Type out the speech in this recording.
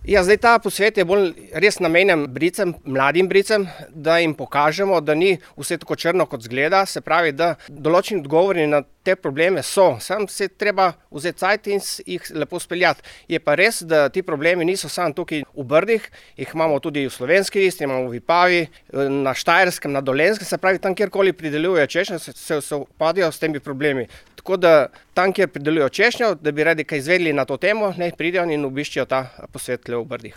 Ja, zdaj ta posvet je bolj res namenjen bricem, mladim bricem, da jim pokažemo, da ni vse tako črno, kot izgleda. Se pravi, da določeni odgovori na te probleme so. Samo se treba vzeti cajt in jih lepo speljati. Je pa res, da ti problemi niso samo tukaj v Brdih, jih imamo tudi v Slovenski Istri, imamo v Vipavi, na Štajerskem, na Dolenjskem, se pravi, tam kjerkoli pridelujejo češnjo, se upadajo s temi problemi. Tako da tam, kjer pridelujejo češnjo, da bi radi kaj izvedeli na to temo, naj pridejo in obiščejo ta posvet v Brdih.